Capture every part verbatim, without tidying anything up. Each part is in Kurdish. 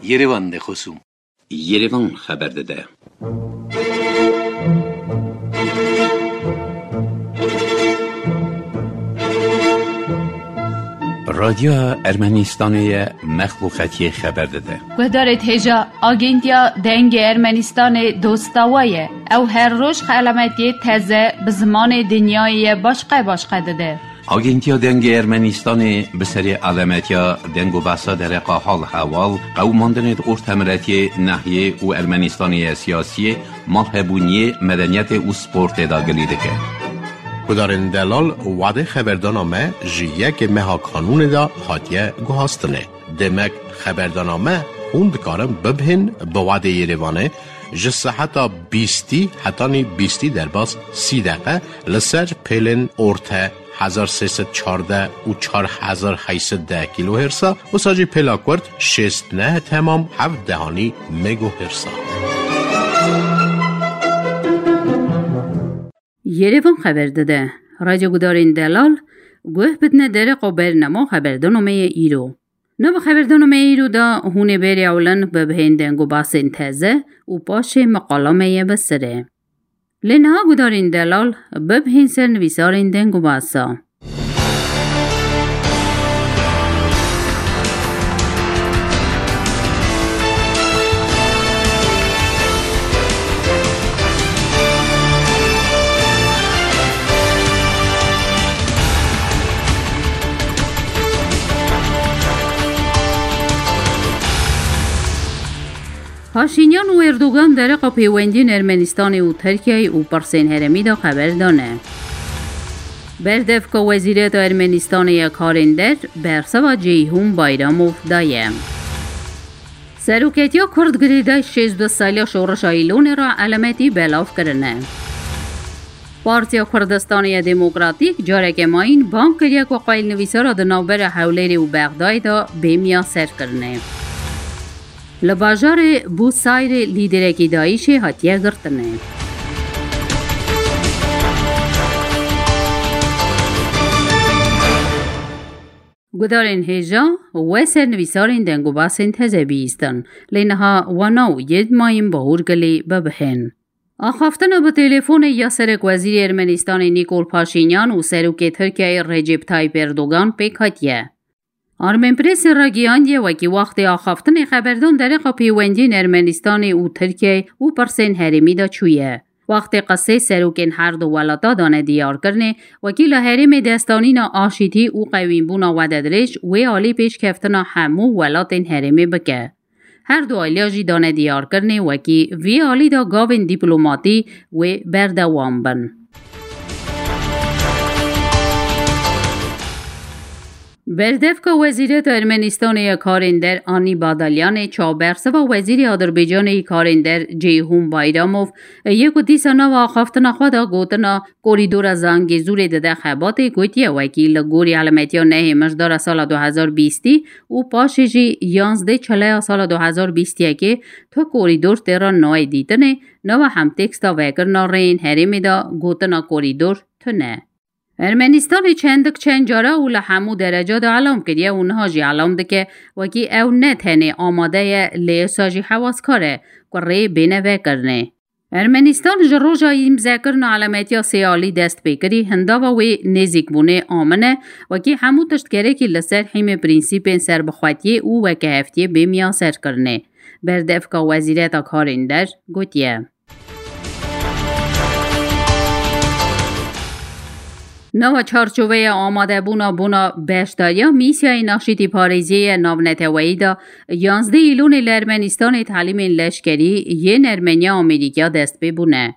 Yerevan de xosûm. Yerevan xeber dide. Radyoya Ermenistanê ye, mexluqetiyê xeber dide. Guhdarê hêja, Agentiya Dengê Ermenistanê dosta we ye. Ew her roj xelametiyê teze bi zimanê dinyayê ye başqe başqe dide. Agentiya Dengê Ermenistanê bi serê alemetiya deng û behsa dereqa hal hewal, qewimandinê di ortemiretiyê, nehiyê û Ermenistanê ye siyasiyê, malhebûniyê, medeniyetê û sportê de gilî dike. Gudarên delal, wadê xeberdana me ji yekê meha kanûnê de hatiye guhastinê. Demek xeberdana me hûn dikarin bibihên bi wadê Yerevanê ji seheta bîstî hetanî bîstî derbas sî deqe li ser pêlên orte hezar sê sed çardeh û çar hezar heyt sed deh kîlohêrsa, wisa jî pêla kurt şêst neh temam heft dehanî megohêrsa. Yerevan xeber dide. Radyo gudarên delal guh bidine dereqa bernama xeberdana me ye îro. Nava xeberdana me îro de hûn ê berê ewlen bibihên deng û basên teze û paşê meqala me ye bi sirê. Lê niha gudarên delal bibihên ser nivîsarên deng û basa. Paşînyan û Erdogan dereqa pêwendiyên Ermenistanê û Tirkiyeyê û pirsên herêmî de xeber dane. Berdevka Wezîreta Ermenistanê ya Karên Der bersiva Ceyhûn Bayramov daye. Seroketiya Kurd girêdayî şêst û du saliya şorişa Îlonê re elemetî belav kirine. Partiya Kurdistanê ya Demokratîk careke mayîn bang kiriye ku qayîlnivîsara di navbera Hewlêrê û Bexdayê de bê miyaserkirinê. Li bajarê Bûsayrê lîderekî DAIŞê hatiye girtinê. Gudarên hêja we sernivîsarên deng û basên teze bihîstin, lê niha wana û yê di mayîn bahûr gilî bibihên. Axaftina bi telefonê ya Serekwezîrê Ermenistanê Nîkol Paşînyan û Serokê Tirkiyeyê Recep Tayyip Erdogan pêk hatiye. Armenpressê ragihandiye wekî wextê axaftinê xeberdan dereqa pêwendiyên Ermenistanê û Tirkiyeyê û pirsên herêmî de çûye. Wextê qisê serokên her du welata dane diyarkirinê, wekî li herêmê destanîna aşîtî û qewînbûna wededirêj wê alî pêşkeftina hemû welatên herêmê bike. Her du aliya jî dane diyarkirinê wekî vî alî de gavên dîplomatî wê berdewam bin. Berdevka Wezîreta Ermenistanê ya Karên Der Anî Badalyanê çaw bersiva Wezîrê Adirbaycanê yê Karên Der Ceyhûn Bayramov yê ku dîsa nava axaftina xwe de gotina Korîdora Zangezûrê dide xebatê, gotiye wekî li gorî elametiya nehê mijdara sala du hezar bîstî û paşê jî yanzdê çileya sala du hezar bîstiyekê tu korîdor tê re nayê dîtinê, nava hemtêksta vekirina rêyên herêmê de gotina korîdor tune. Ermenistanê çendik çend cara û li hemû dereca de elam kiriye û niha jî elam dike, wekî ew ne tenê amade ye, lê esa jî hewaskar e ku rê bêne vekirinê. Ermenistan ji roja îmzekirina elametiya sêalî dest pê kirî, hindava wê nêzîkbûnê amin e, wekî hemû tişt gerekî li ser hîmê prînsîpên serbixwetiyê û wekeheftiyê bê miyaserkirinê. Berdevka Wezîreta Karên Der gotiye. Nava çarçoveya amadebûna bona beşdariya mîsyayên aşîtî parêziyê ye navneteweyî de, yanzdeh Îlonê li Ermenistanê talîmên leşkerî yên Ermeniya Amerîkya dest pê bûne.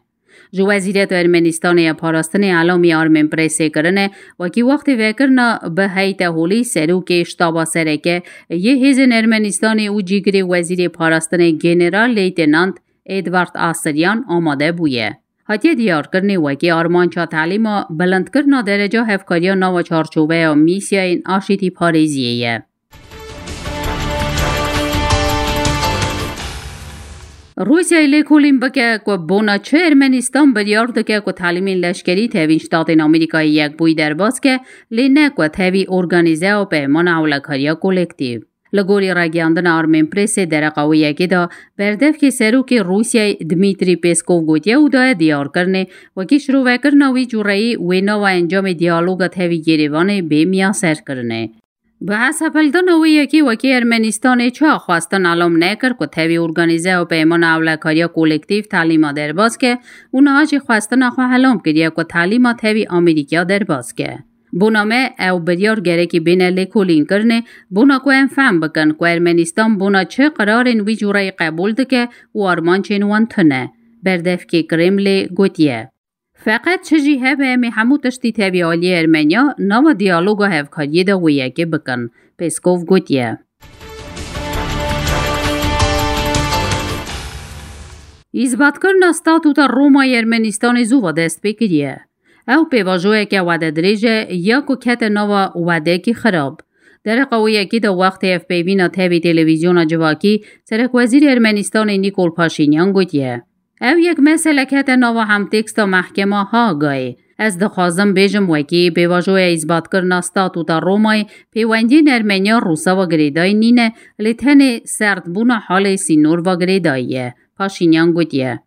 Ji Wezîreta Ermenistanê ya Parastinê elamî Armenpressê kirine, wekî wextê vekirina bi heyte holî serokê Ştaba Sereke yê Hêzên Ermenistanê û cîgirê Wezîrê Parastinê General Leytenant Edward Asiryan amade bûye. Hatiye diyarkirinê wekî armanca talîma bilindkirina dereca hevkariya nava çarçoveya mîsyayên aşîtî parêziyê ye. Rûsyayê lêkolîn bike ku bona çi Ermenistan biryar dike ku talîmên leşkerî tevî Ştatên Amerîkayê Yekbûyî derbas ke, lê ne ku tevî organîzeya peymana ewlekariya kolektîv. Li gorî ragihandina Armenpressê dereqa wê yekê de berdevkê serokê Rûsyayê Dmîtrî Peskov gotiye û daye diyarkirinê, wekî şirovekirina wî cûreyî wê nava encamê diyaloga tevî Yerêvanê bê miyaserkirinê. Bi hesabhildana wê yekê wekî Ermenistanê çawa xwestin elam nekir ku tevî organîzeya peymana ewlekariya kolektîf telîma derbas ke û niha jî xwestina xwe elam kiriye ku telîma tevî Amerîkaya derbas ke. Bona me ew biryar gerekî bêne lêkolînkirinê, bona ku em fehm bikin ku Ermenistan bona çi qirarên wî cûreyî qebûl dike û armancên wan tune, berdevkê Kremlê gotiye. Feqet çi jî hebe, em ê hemû tiştî tevî aliyê Ermeniya nava diyaloga hevkariyê de wê yekê bikin, Peskov gotiye. Îzbatkirina Statûta Romayê Ermenistanê zû ve dest pê kiriye. Ew pêvajoyeke wede dirêj e ya ku kete nava wedekî xirab. Dereqa wê yekê de wextê hevpeyvîna tevî televîzyona civakî, serekwezîrê Ermenistanê Nîkol Paşînyan gotiye, Ev yek mesele kete nava hemtêksta mehkema Hagayê. Ez dixwazim bêjim wekî pêvajoya îzbatkirina Statûta Romayê pêwendiyên Ermeniya Rûsa ve girêdayî nîne, lê tenê serdbûna halê sînor ve girêdayî ye, Paşînyan gotiye.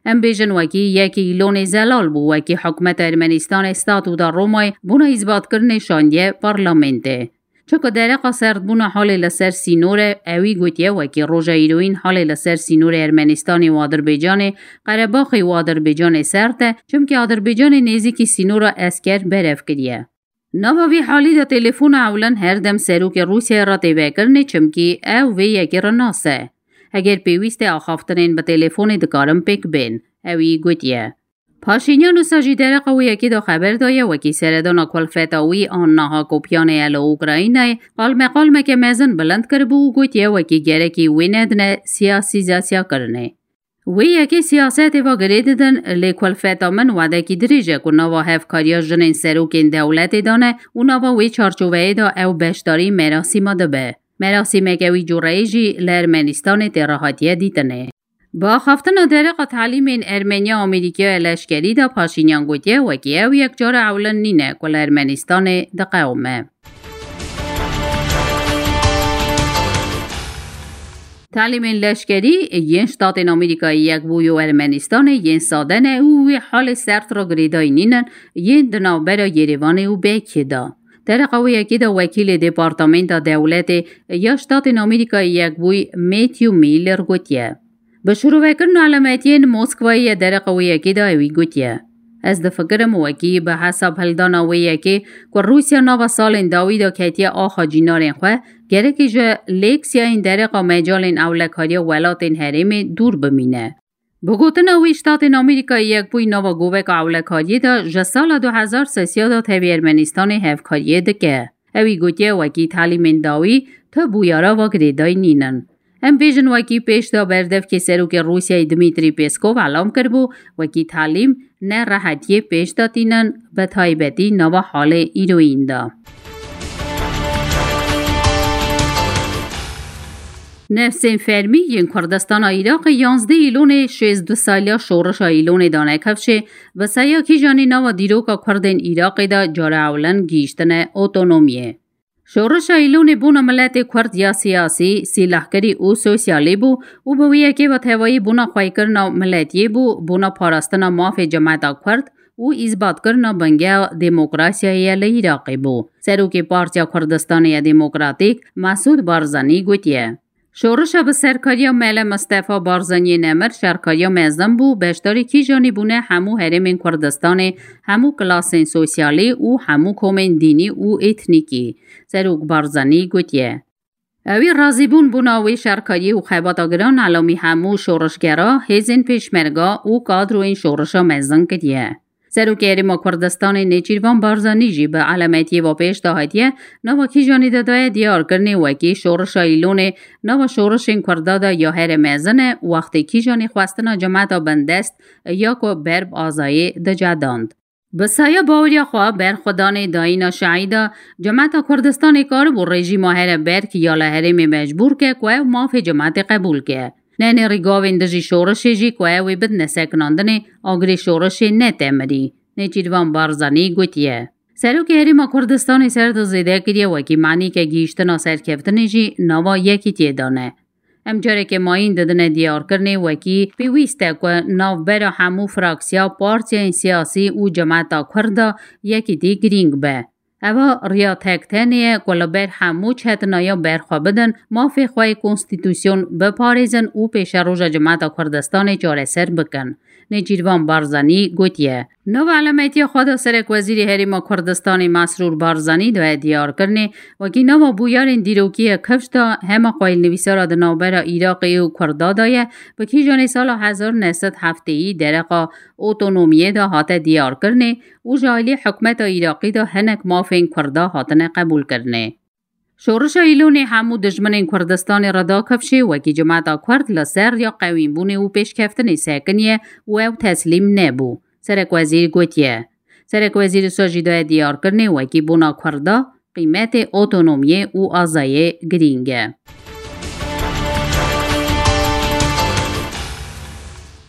Em bêjin wekî yekê îlonê zelal bû, wekî hikûmeta Ermenistanê Statûta Romayê bona îzbatkirinê şandiye parlamentê. Çunku dereqa serdbûna halê li ser sînor e, ewî gotiye wekî roja îroyîn halê li ser sînorê Ermenistanê û Adirbaycanê, Qerebaxê û Adirbaycanê serd e, çimkî Adirbaycanê nêzîkî sînora esker berev kiriye. Nava vî halî de telefona ewlin her dem serokê Rûsyayê re tê vekirinê, çimkî ew vê yekê re nas e. Heger pêwîst e axaftinên bi telefonê dikarin pêk bên, ewî gotiye. Paşînyan wisa jî dereqa wê yekê de xeber daye, wekî seredana kulfeta wî an niha kopyanê ye li Ukraynayê, qalmeqalmeke mezin bilind kiribû û gotiye, wekî gerekî wê nedine siyasîzasyakirinê. Wê yekê siyasetê ve girê didin, lê kulfeta min wedekî dirêj e ku nava hevkariya jinên serokên dewletê de ne û nava wê çarçoveyê de ew beşdarî merasîma dibe. Merasîmeke wî cûreyê jî li Ermenistanê tê re hatiye dîtinê. Bi axaftina dereqa telîmên Ermeniya Amerîkaya leşkerî de Paşînyan gotiye, wekî ew yek cara ewlin nîne ku li Ermenistanê diqewime. Telîmên leşkerî yên Ştatên Amerîkayê Yekbûyî û Ermenistanê yên sade ne û wê halê sert re girêdayî nînin, yên di navbera Yerêvanê û Bekiyê de. Dereqa wê yekê de wekîlê Departamenta Dewletê ya Ştatên Amerîkayê Yekbûyî Matthew Miller gotiye, Bi şirovekirina elemetiyên Moskwayê ye dereqa wê yekê de ewî gotiye, Ez difikirim wekî bi hesabhildana wê yekê ku Rûsya nava salên dawî de ketiye axa cînarên xwe, gerekî ji lêksiyayên dereqa mecalên ewlekariya welatên herêmê dûr bimîne. Bi gotina wî, Ştatên Amerîkayê Yekbûyî nava goveka ewlekariyê de ji sala du hezar sêsî ya de tevî Ermenistanê hevkariyê dike. Ewî gotiye, wekî telîmên dawî tu bûyera ve girêdayî nînin. Em bêjin wekî pêş de berdevkê serokê Rûsyayê Dmîtrî Pêskov elam kiribû, wekî telîm ne rehetiyê pêş de tînin, bi taybetî nava halê îroyîn de. Nefsên fermî yên Kurdistana Iraqê yanzdeh Îlonê şêst du saliya şorişa Îlonê dane kifşê, bi saya kîjanî nava dîroka Kurdên Iraqê de cara ewlin gihîştine otonomiyê. Şorişa Îlonê bona miletê Kurd ya siyasî, sîlehkirî û sosyalî bû û bi wî yekê ve tevayî bona xweykirina miletiyê bû, bona parastina mafê cemeta Kurd û îzbatkirina bingeha demokrasiyayê ye li Iraqê bû. Serokê Partiya Kurdistanê ya Demokratîk Mesûd Barzanî gotiye, Şorişa bi serkariya Mele Mistefa Barzaniyê Nemir şerkariya mezin bû, beşdarî kîjanî bûne hemû herêmên Kurdistanê, hemû kilasên sosyalî û hemû komên dînî û etnîkî. Serok Barzanî gotiye, Ewî razîbûn bona wê şerkariyê û xebata giran elamî hemû şorişgera, hêzên pêşmerga û kadroyên şorişa mezin kiriye. Serokê Herêma Kurdistanê Nêçîrvan Barzanî jî bi elemetiyê ve pêş de hatiye, nava kîjanî de daye diyarkirinê wekî şorişa Îlonê nava şorişên Kurda de ya here mezin e, wextê kîjanî xwestina cemeta bindest ya ku ber bi azayê dicedand. Bi saya baweriya xwe berxwedanê dayîna şehîda, cemeta Kurdistanê karibû rejîma here berk ya li herêmê mecbûr ke ku ew mafê cemetê qebûl ke. Nenê rîgavên dijî şorişê jî ku ew ê bidine sekinandinê, agirê şorişê ne temirî. Nêçîrvan Barzanî gotiye, Serokê Herêma Kurdistanê ser di zêde kiriye, wekî manîke gihîştina serkeftinê jî nava yekîtiyê dane. Em careke mayîn didine diyarkirinê, wekî pêwîst e ku navbera hemû fraksiya, partiyên siyasî û cemeta Kurd de yekîtî girîng be. Eva riya tek tenê ye ku li ber hemû çetinaya berxwe bidin, mafê xwe yê konstîtusyon biparêzin û pêşeroja cemeta Kurdistanê çareser bikin. Nêçîrvan Barzanî gotiye. Nava elametiya xwe de Serekwezîrê Herêma Kurdistanê Mesrûr Barzanî daye diyarkirinê, wekî nava bûyerên dîrokî ye kifş de hema xwayîlnivîsara di navbera Iraqê û Kurda de ye, bi kîjanê sala hezar neh sed heftêyî dereqa otonomiyê de hate diyarkirinê û ji alî hikûmeta Iraqî de hinek mafên Kurda hatine qebûlkirinê. Şorişa Îlonê hemû dijminên Kurdistanê re da kifşê, wekî cemeta Kurd li ser riya qewînbûnê û pêşkeftinê sekiniye û ew teslîm nebû. Serekwezîr gotiye. Serekwezîr wisa jî daye diyarkirinê, wekî bona Kurda qîmetê otonomiyê û azayê girîng e.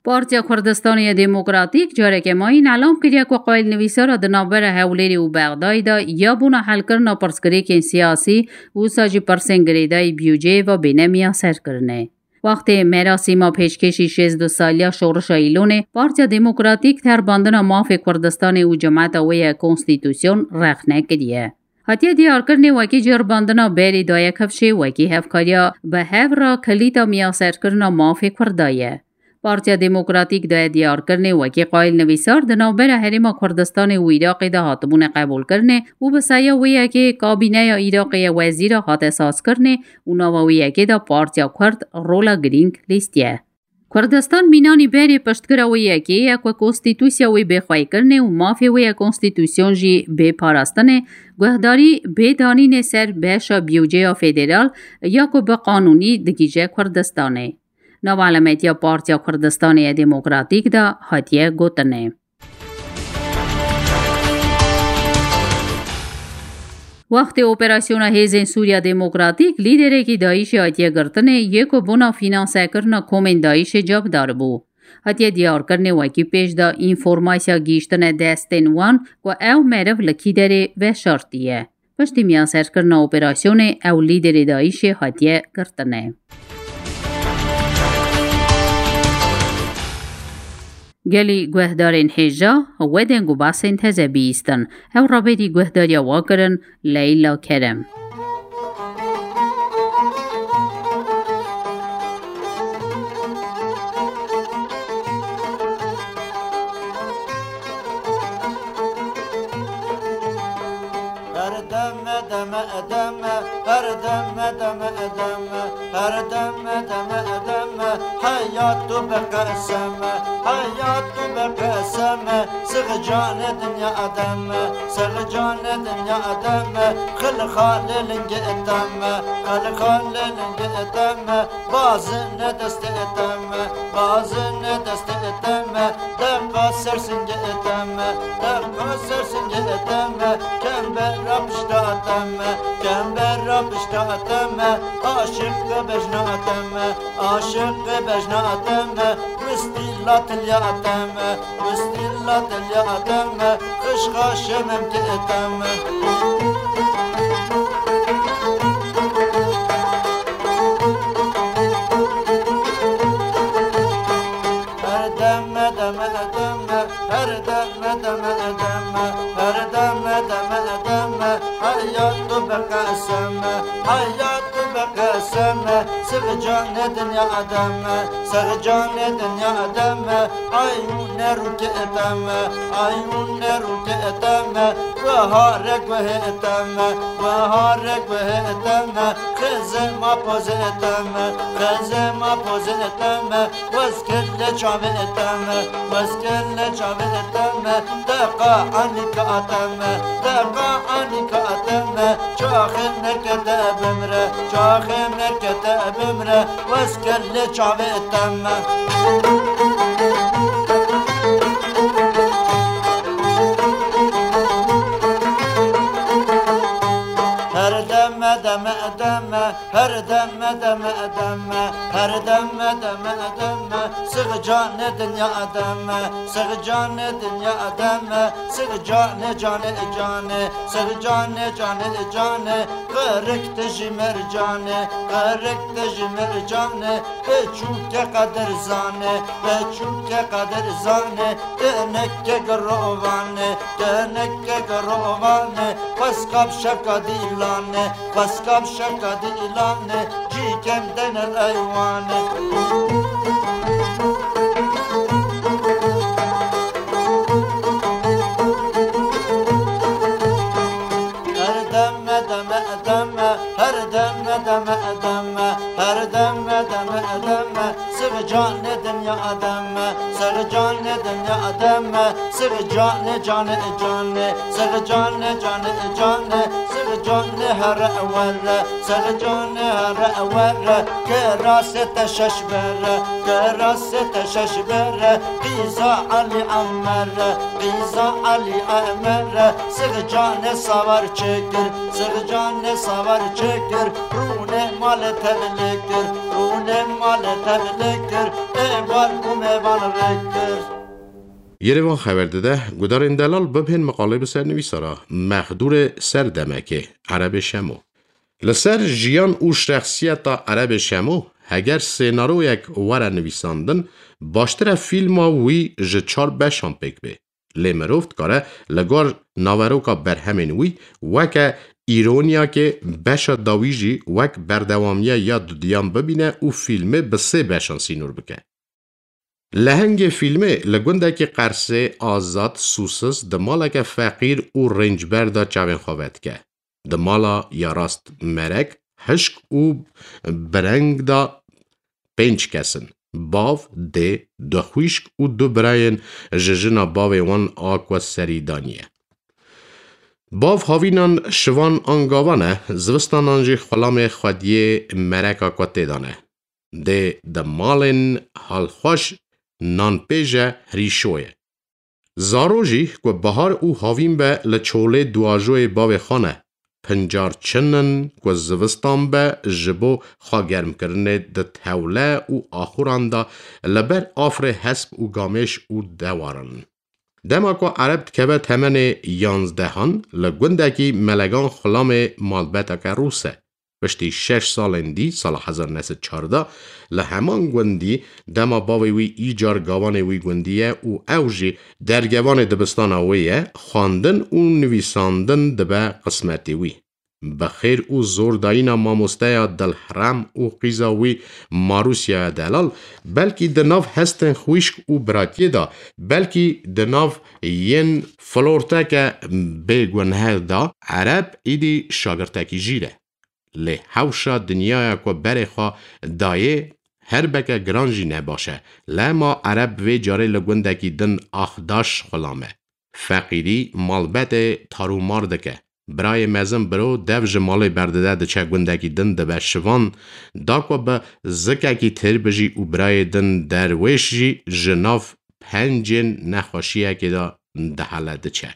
Partiya Kurdistanê ya Demokratîk careke mayîn elam kiriye ku qayîlnivîsara di navbera Hewlêrê û Bexdayê de ya bona helkirina pirsgirêkên siyasî û wisa jî pirsên girêdayî biyûceyê ve bêne miyaserkirinê. Wextê merasîma pêşkêşî şêst û du saliya Şorişa Îlonê, Partiya Demokratîk terbandina mafê Kurdistanê û cemeta wê ye konstîtusyon rexne kiriye. Hatiye diyarkirinê, wekî cirbandina berê daye kifşê, wekî hevkariya bi hev re kilîta miyaserkirina mafê Kurda ye. Partiya Demokratîk daye diyarkirinê, wekî qayîlnivîsar di navbera Herêma Kurdistanê û Iraqê de hatibûne qebûlkirinê û bi saya wê yekê kabîneya Iraqê ye wezîra hate sazkirinê û nava wê yekê de Partiya Kurd rola girîng lîstiye. Kurdistan mînanî berê piştgira wê yekê ye ku konstîtusya wê bê xweykirinê û mafê wê ye konstîtusyon jî bê parastinê, guhdarî bê danînê ser beşa biyûceya federal ya ku bi qanûnî digihîje Kurdistanê. Nava elametiya Partiya Kurdistanê ya Demokratîk de hatiye gotinê. Wextê operasyona Hêzên Sûriya Demokratîk, lîderekî DAIŞê hatiye girtinê, yê ku bona fînansekirina komên DAIŞê cavdar bû. Hatiye diyarkirinê, wekî pêş de înformasya gihîştine destên wan ku ew meriv li kî derê veşartiye. Piştî miyaserkirina operasyonê ew lîderê DAIŞê hatiye girtinê. Gelî guhdarên hêja, we deng û basên teze bihîstin. Ew rabêrî guhdariya we kirin, Leyla Kerem. Her deme, deme, deme, her deme, deme, deme, her deme, deme, deme, heyat tu bi qesem, heyat tu bi qesem, six canê dinya deme, six canê dinya deme, xil xalê lingê deme, xil xalê lingê deme, bazine destê deme, bazine destê deme, Deqa ser singê eteme, deqa ser singê eteme, kembera pişta eteme, kembera pişta eteme, aşiq bejna eteme, aşiq bejna eteme, wistîla tilya eteme, wistîla tilya eteme, xişxa şemem ki eteme. Her deme, deme, deme, her deme, deme, deme, her deme, deme, deme, heyat tu bi qesem, heyat tu bi qesem, six canê dinya deme, six canê dinya deme, ayûne rûke deme, ayûne rûke deme, wehare guhe deme, wehare guhe deme, xizema poze deme, xizema poze deme, Weskelle çavê eteme, weskelle çavê eteme, deqa anika ateme, deqa anika ateme, çaxê mekete bimre, çaxê mekete bimre, weskelle çavê eteme. Her deme Deme deme, her deme deme deme, her deme deme deme, sığ canê dinya deme, sığ canê dinya deme, sığ canê canê canê, sığ canê canê canê, qirikte ji mercanê, qirikte ji mercanê, beçûke qedir zanê, beçûke qedir zanê, teneke girovane, teneke girovane, xweskab şevka dîlane, xweskab şevka dîlane, cîkem dene eywane. Her deme deme deme, her deme deme deme, her deme deme deme, sığ canê dinya deme, sığ canê dinya deme, sığ canê canê canê, sığ canê canê canê, sığ canê here were, sığ canê here were, kirasê te şeş bere, kirasê te şeş bere, qîza Elî Emere, qîza Elî Emere, sığ canê savar çekir, sığ canê savar çekir, rûnê malê tevlê kir, rûnê malê tevlê kir, ê bar û mêvan rê kir. Yerevan xeber dide, gudarên delal bibhên miqalê bi ser nivîsara Mexdûrê Serdemekê, Erebê Şemo. Li ser jiyan û şexsiyeta Erebê Şemo, heger sênaroyek were nivîsandin, baştir e fîlma wî ji çar beşan pêk bê. Lê mirov dikare li gor naveroka berhemên wî weke îroniyakê beşa dawî jî wek berdewamiya ya dudiyan bibîne û fîlmê bi sê beşan sînor bike. Lehengê fîlmê li gundekî Qersê, azad, sûsiz, di maleke feqîr û rêncber de çavên xwe vedike. Di mala ya rast merek, hişk û bireng de pênc kes in. Bav, dê, du xwîşk û du birayên ji jina bavê wan a ku serî daniye. Bav havînan şivan an gavan e, zivistanan jî xulamê xwediyê mereka ku tê de ne. Dê di malên halxweş nan pêje hirîşo ye. Zaro jî ku bahar û havîn be li çolê duajoyê bavê xwe ne. Pincar çin in ku zivistan be ji bo xwegermkirinê di tewle û axuran de li ber afirê hesp û gamêş û dewar in. Dema ku Ereb dikeve temenê yanzdehan, li gundekî Melegan xulamê malbeteke rûs e. Piştî şeş salên dî, sala hezar neh sed çardeh, li heman gundî, dema bavê wî îcar gavanê wî gundî ye û ew jî dergevanê dibistana wê ye, xwendin û nivîsandin dibe qismetê wî. Bi xêr û zordayîna mamosteya dilherem û qîza wî Marûsyaya delal, belkî di nav hestên xwişk û biratiyê de, belkî di nav yên florteke bêguneh de, Ereb îdî şagirtekî jîr e. Lê hewşa dinyaya ku berê xwe dayê, her beke giran jî ne baş e. Lema Ereb vê carê li gundekî din Axdaş xulam e. Feqîrî malbetê tarûmar dike. Birayê mezin biro dev ji malê berdide, diçe gundekî din, dibe şivan, da ku bi zikekî têr bijî û birayê din derwêş jî ji nav pencên nexweşiyekê de dihele diçe.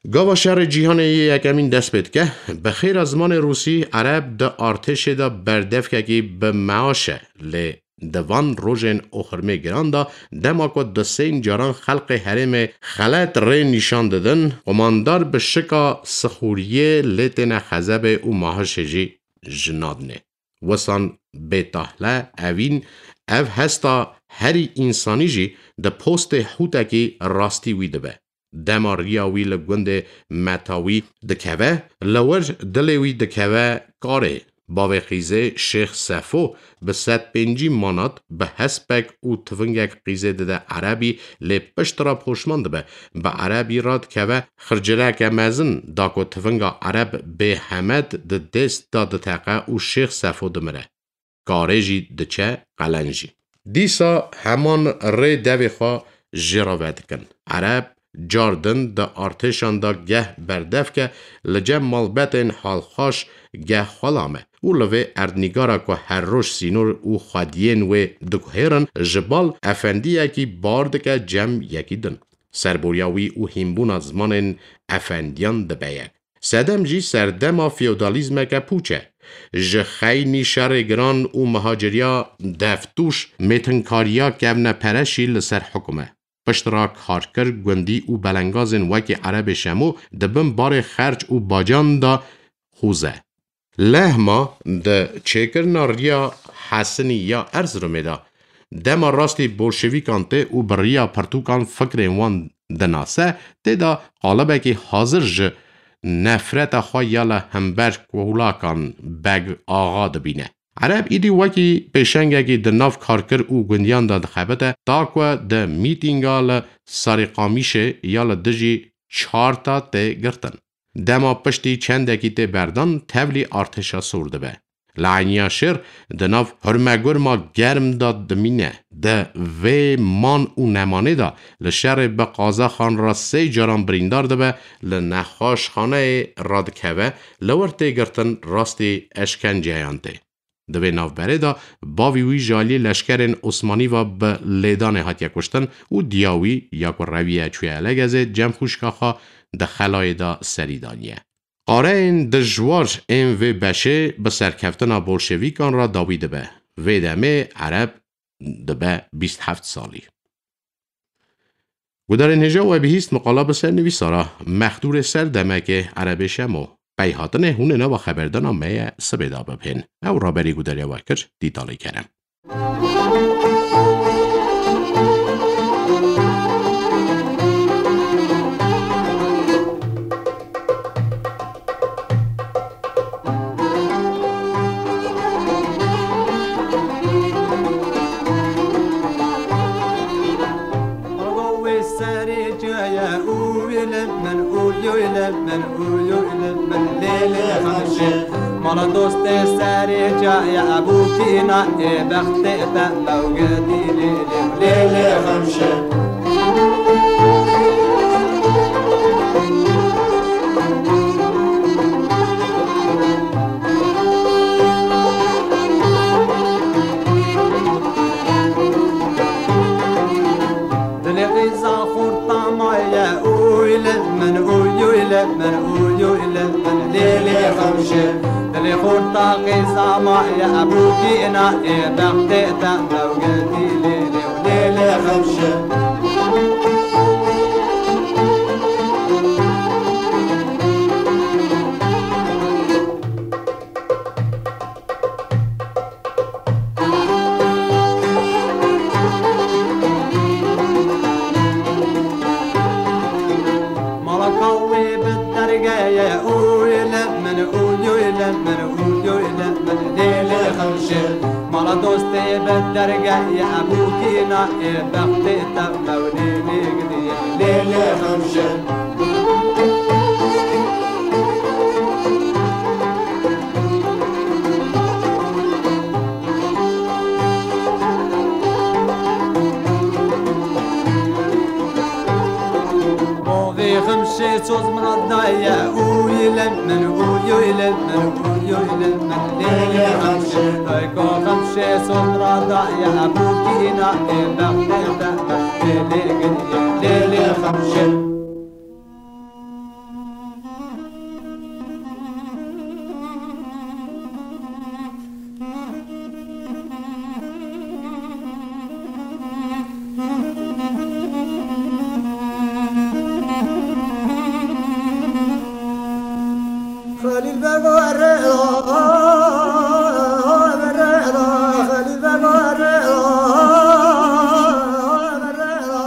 Gava şerê cîhanê yê yekemîn dest pê dike, bi xêra zimanê rûsî Ereb di artêşê de berdevkekî bi meaş e, lê di van rojên oxirmê giran de, dema ku du sê caran xelqê herêmê xelet rê nîşan didin, qumandar bi şika sixûriyê lê têne xezebê û mahişê jî ji nadinê. Wisan bêtahle evîn, ev hesta herî însanî jî di postê hûtekî rastî wî dibe. Dema riya wî li gundê Metawî dikeve, li wir dilê wî dikeve karê. Bavê qîzê Şêx Sefo bi sed pêncî manat bi hespek û tivingek qîzê dide Erebî, lê pişt re poşman dibe. Bi Erebî re dikeve xircireke mezin, da ku tivinga Ereb bêhemed di dêst de diteqe û Şêx Sefo dimire. Karê jî diçe qelenc jî. Dîsa heman rê devê xwe jê re vedikin. Ereb car din di artêşan de geh berdev ke, li cem malbetên halxweş geh xulam e û li vê erdnîgara ku her roj sînor û xwediyên wê diguhêrin, ji bal efendiyekî bar dike cem yekî din. Serboriya wî û hînbûna zimanên efendiyan dibe yek. Sedem jî serdema feodalîzmeke pûç e. Ji xeynî şerê giran û mihaciriya deftûş mêtinkariya kevnepereşî li ser hukm e. Piştre karkir, gundî û belengazên wekî Erebê Şemo di bin barê xerc û bacan de xûze. Lehma di çêkirina riya Hesinî ya Erziromê de dema rastî bolşevîkan tê û bi riya pirtûkan fikrên wan dinase, tê de qalibekî hazir ji nefreta xwe ya li hember kolakan Beg Axa dibîne. Ereb îdî wekî pêşengekî di nav karkir û gundiyan de dixebite, ta ku di mîtînga li Sarîqamîşê ya li dijî çarta tê girtin. Dema piştî çendekî tê berdan, tevlî artêşa sor dibe. Li Eyniya Şêr di nav hurmegurma germ de dimîne. Di vê man û nemanê de li şerê bi qazaxan re sê caran birîndar dibe, li nexweşxaneyê radikeve, li wir tê girtin, rastî eşkenceyan tê. Di vê navberê de bavî wî ji aliyê leşkerên Osmanî ve bi lêdanê hatiye kuştin û diya wî ya ku reviye çûye Elegezê cem xwişka xwe di xelayê de serî daniye. Qareyên dijwar ên vê beşê bi serkeftina bolşevîkan re dawî dibe. Vê demê Ereb dibe bîst heft salî. Gudarên hêja we bihîst miqala bi ser nivîsara Mexdûrê Ser Demekê Erebê Şemo. Pey hatinê hûn ê nava xeberdana me ye sibê de bibhên. Ew raberî gudariya we kir Dîtalê Kerem. Wê serê caye û wê li min û yo li min û yo li min lê lê xemşe. Mala dostê serê caye ebûkîna ê bextê te mewgedî lê lê lê lê xemşe. Dilê qîza xurta maye, uy li min, uy, uy li min, uy, uy li min, lê lê xemşe. Dilê xurta qîza maye, ebûkîna ê bextê te mewgedî lê lê, lê lê xemşe. Malaka wê bi dergeye, uy li min, uy, uy li min, uy, uy li min, lê lê xemşe. Mala dostê bi dergeye, ebûkîna ê bextê te mewnê lê gidiye, lê lê xemşe. Bavê xemşê soz min daye, uy li min, uy, uy li min, uy, uy li min, lê lê xemşê. Dayka xemşê soz min daye, bûkîna ê bextê te, bextê lê giriye, lê lê xemşê. Xelîl Bego erê da, erê da, Xelîl Bego erê da, erê da.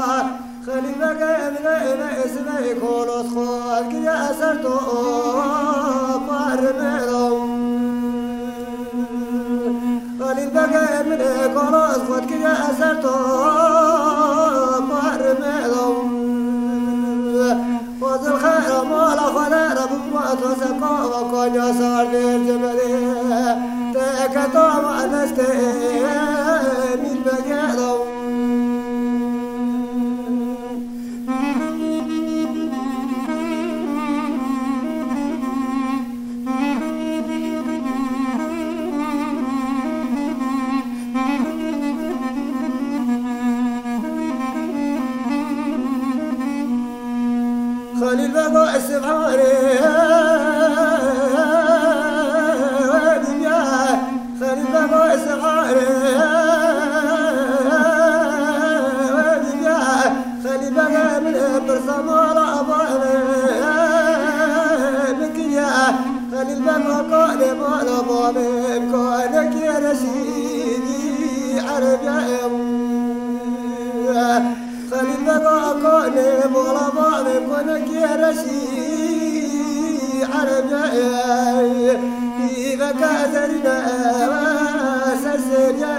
Xelîl Bege min e, min e, sibê kolot xwe kiriye ser to, parmê da. Xelîl Bege min e, kolot xwe kiriye ser to, parmê da. Fazil xera mala xwe de re bûma to se kava kanya sar der cemedê. Te eke tava destê mîl Bege da. Xelîl Bego Sibhanê. Babê kanekê reşîdî erebê. Xelîl Bega kanê mala babê kanekê reşîdî erebê. Îveke zerîne ser serê.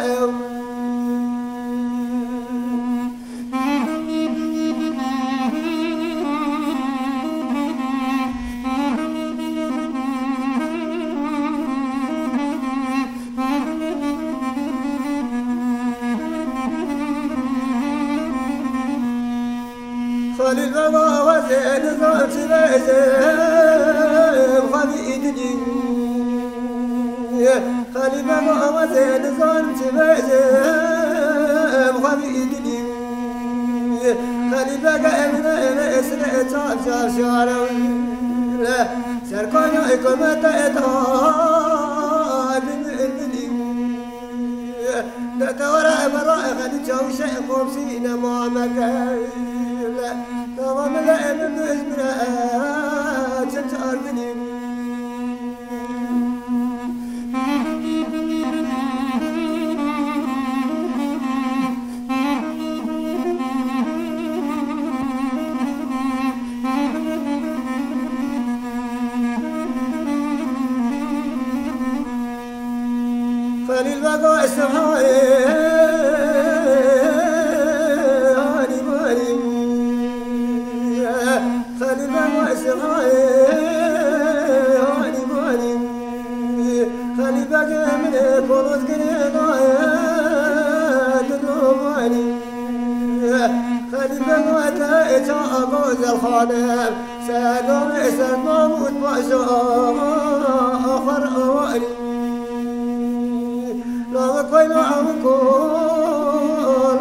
Xelîl Bega wezê nizam çi bezê xwedî îdinî. Xelîl Bega wezê nizam çi bezê xwedî îdinî. Xelîl Bega evine eve esre çar çar şare. Serkaya hikûmete eta bin îdinî. Detewara ebera xelî çawşe komsî ne mameke. Tamam le emin İzmir'e çim çar binî. Xelîl Bega Esefayê hanî marî. Xelîl Bega Esefayê hanî marî. Xelîl Begê min ê kolot girê daye dilo marî. Xelîl Bega te ê ça gozel xane. Sedamê ser Mahmûd Paşa axir awarî. Lava koyna avu ko,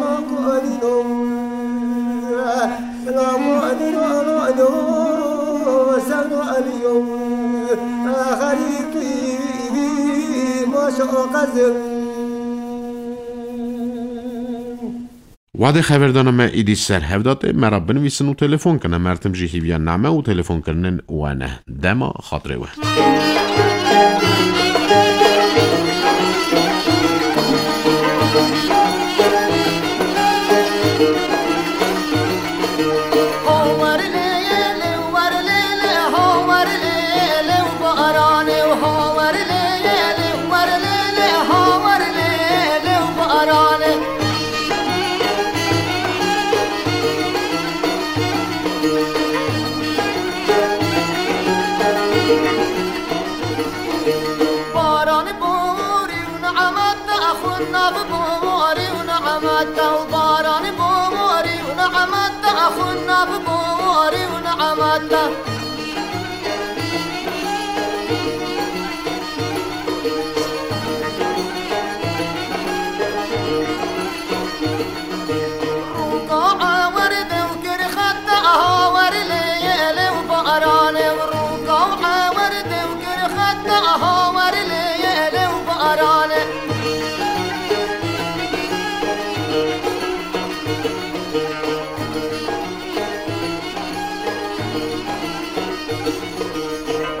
la ko adino. La ko adino, la adino, sevdo aliyo. Axirî tu maşa qezim. Wadê xeverdana me îdî ser hev datê, me re binivîsin û telefon kine. Mertim jî hîviya name û telefonkirinên we ne. Dema xatirê we. Baran borî û ni'meta xwe nav borî û ni'meta û baran borî û ni'meta xwe nav borî û ni'meta. Rûka ewerde û kir xeta aha wer lê yê lê û baranê û rûka ewerde û kir xeta aha wer lê yê lê û baranê.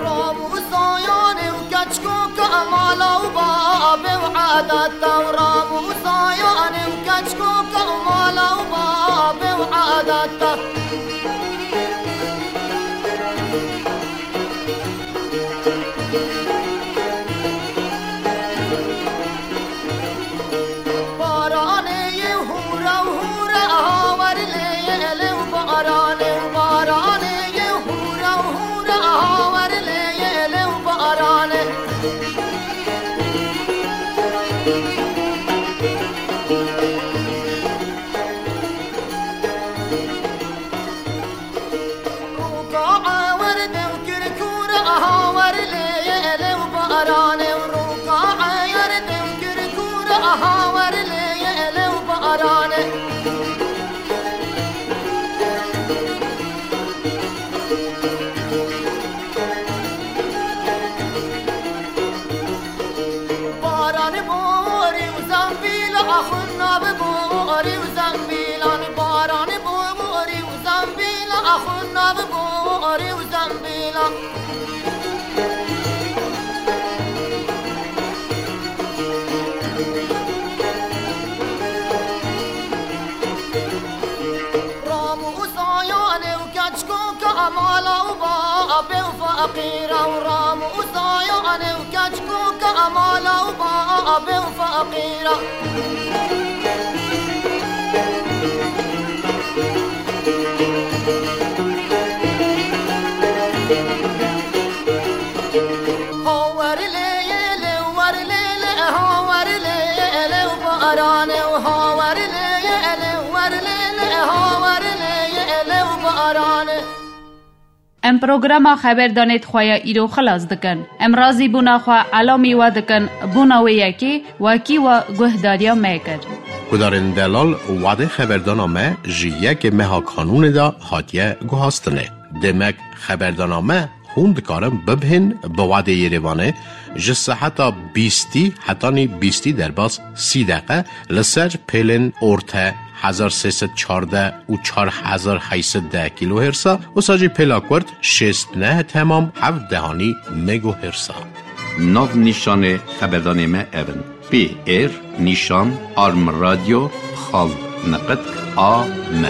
Ramû sayanê û keçkoka mala û babê û edeta û ramû sayanê û keçkoka mala û babê û edeta. Baranê yê hûra û hûra aha wer lê yê lê û baranê û baranê yê hûra û hûra aha wer lê yê lê û baranê. Rûka ewerde û kir kûr aha wer lê yê lê û baranê û rûka ewerde û kir kûr aha wer lê yê lê û baranê. Baranê borî û zembîla axuna bi borî û zembîlan. Baranê borî û zembîla axuna bi borî û zembîlan. Feqîra û ram û zayanê û keçkûka mala û bavê û feqîra. Ho wer lê yê lê, wer lê lê, ho wer lê yê lê û baranê û ho wer lê yê lê, wer lê lê, ho wer lê yê lê û baranê. Em programa xeberdanê xwe ya îro xilas dikin. Em razîbûna xwe elamî we dikin, bûna wê yekê wekî we guhdariya me kir. Guhdarên delal, wadê xeberdana me ji yekê meha kanûnê de hatiye guhastinê. Demek xeberdana me hûn dikarin bibihên bi wadê Yerêvanê ji seheta bîstî hetanî bîstî derbas sî deqe li ser pêlên orte hezar sê sed çardeh û çar hezar heyt sed deh kîlohêrsa, wisa jî pêla kurt şêst neh temam heft dehanî megohêrsa. Nav nîşanê xeberdanê me ev in: P R nîşan arm radyo xal niqitk a m.